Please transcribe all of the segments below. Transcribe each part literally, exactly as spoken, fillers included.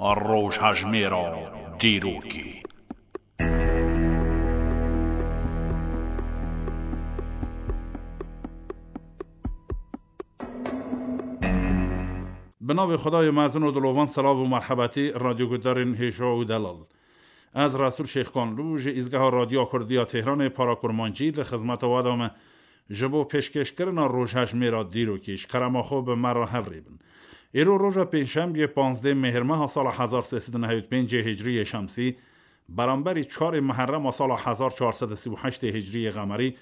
Rojhejmêra dîrokê. Bi navê Xwedayê mezin û dilovan, selav û merhebetî radyoguhdarên hêja û delal. Ez Resûl Şêxkanlû ji Îzgeha Radyoya Kurdî ya Tehranê para kurmancî li xizmeta we de me. Ji bo pêşkêşkirina rojhejmêra dîrokî, ji kerema xwe bi me re hev rê bin. Îro roja pêncşembiyê, panzdeh Mêhrmeha sala hezar sê sed û nehewî pêncê Hicriyê Şemsî, beramberî çarê Meherrema sala hezar çar sed û sî û heştê Hicriyê Qemerî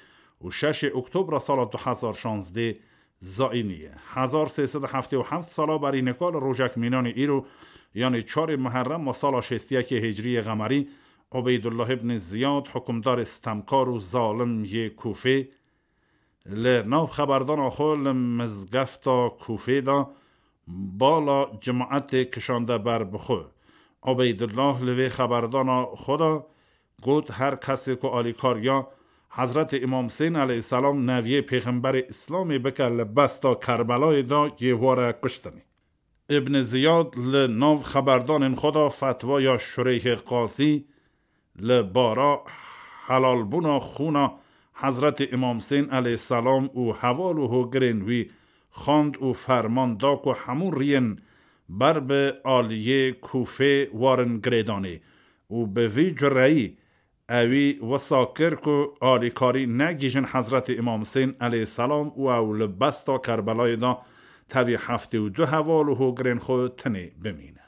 û şeşê Oktobra sala du hezar şazdeh Zayînî ye. Hezar sê sed û heftê û heft sala berî nika li rojek mînanê îro, yanê çarê Meherrema sala şêst û yekê Hicriyê Qemerî, Ubeydullah ibn Ziyad, hukimdarê stemkar û zalim yê Kûfê, li nav xeberdana xwe li mizgefta Kûfê de bala cemaetê kişande ber bi xwe. Ubeydullah li vê xeberdana xwe de got, her kesê ku alîkariya Hezretê Îmam Husên aleyhisselam, neviyê pêxemberê Îslamê, bike li besta Kerbelayê de, yê were kuştinê. Ibn Ziyad li nav xeberdanên xwe de fetwaya Şureyhê Qazî li bara helalbûna xûna Hezretê Îmam Husên aleyhisselam û heval û hogirên wî xwend û ferman da ku hemû riyên ber bi aliyê Kûfê warin girêdanê û bi vî cureyî ewî wisa kir ku alîkarî negihîjin Hezretê Îmam Husên aleyhisselam û ew li besta Kerbelayê de tevî heftê û du heval û hogirên xwe tenê bimîne.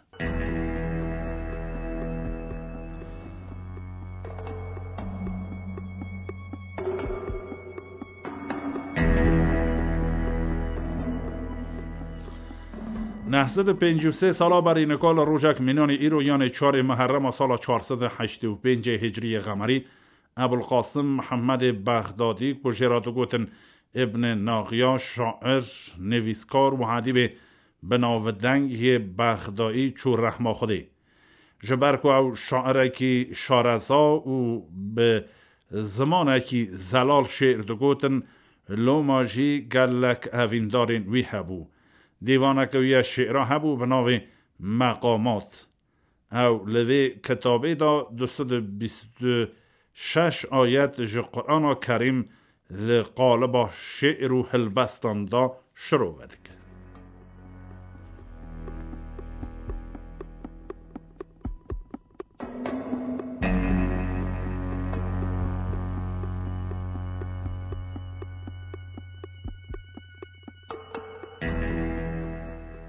Neh sed û pêncî û sê sala berî nika li rojek mînanê îro, yanê çarê Meherrema sala çar sed û heştê û pêncê Hicriyê Qemerî, Ebul Qasim Mihemedê Bexdadî, ku jê re digotin Ibn Naxiya, şair, nivîskar û edîbê bi navdeng yê Bexdayî çû rehma Xwedê. Ji ber ku ew şairekî şareza û bi zimanekî zelal şê'r digotin, loma jî gelek evîndarên wî hebû. Dîvaneke wî ya şê'ra hebû bi navê Meqamat. Ew li vê kitabê de du sed û bîst û şeş ayet ji Qur'ana Kerîm li qaliba şê'r û hilbestan de şirove dike.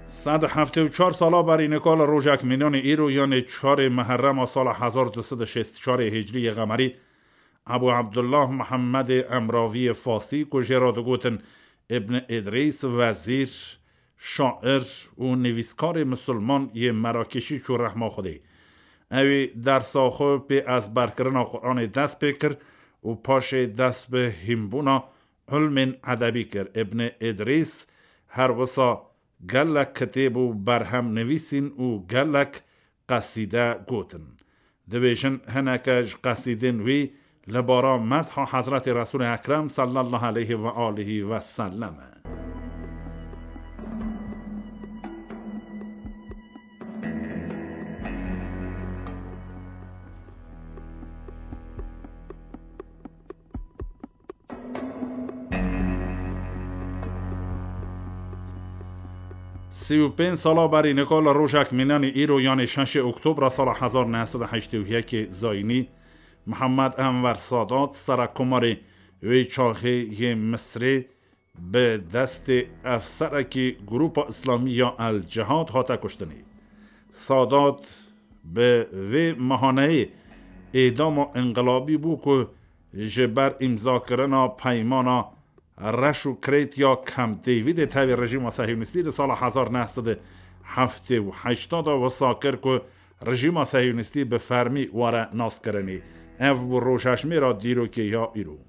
Sed heftê û çar sala berî nika li rojek mînanê îro, yanê çarê Meherrema sala hezar du sed û şêst û çarê Hicriyê Qemerî, Ebû Ebdullah Mihemedê Emraviyê Fasî, ku jê re digotin Ibn Îdrîs, wezîr, şair û nivîskarê misilman yê Merakêşî çû rehma Xwedê. Ewî dersa xwe pê ezberkirina Qur'anê dest pê kir û paşê dest bi hînbûna ilmên edebî kir. Ibn Îdrîs her wisa gelek kitêb û berhem nivîsîn û gelek qesîde gotin. Dibêjin hineke ji qesîdên wî li bara medha Hezretê Resûlê Ekrem sallallahu aleyhi ve alihi ve sellem e. Sî û pênc sala berî nika li rojek mînanê îro, yanê şeşê Oktobra sala hezar neh sed û heştê û yekê Zayînî, Mihemed Enver Sadat, serekkomarê wê çaxê yê Misrê, bi destê efserekî Grupa Îslamî ya El Cihad hate kuştinê. Sadat bi vê mehaneyê êdama înqilabî bû ku ji ber îmzakirina peymana reş û kirêt ya Camp Davidê tevî rejîma sehyonîstî di sala hezar neh sed û heftê û heşt de wisa kir ku rejîma sehyonîstî bi fermî were naskirinê. Ev bû rojhejmêra dîrokê ya îro.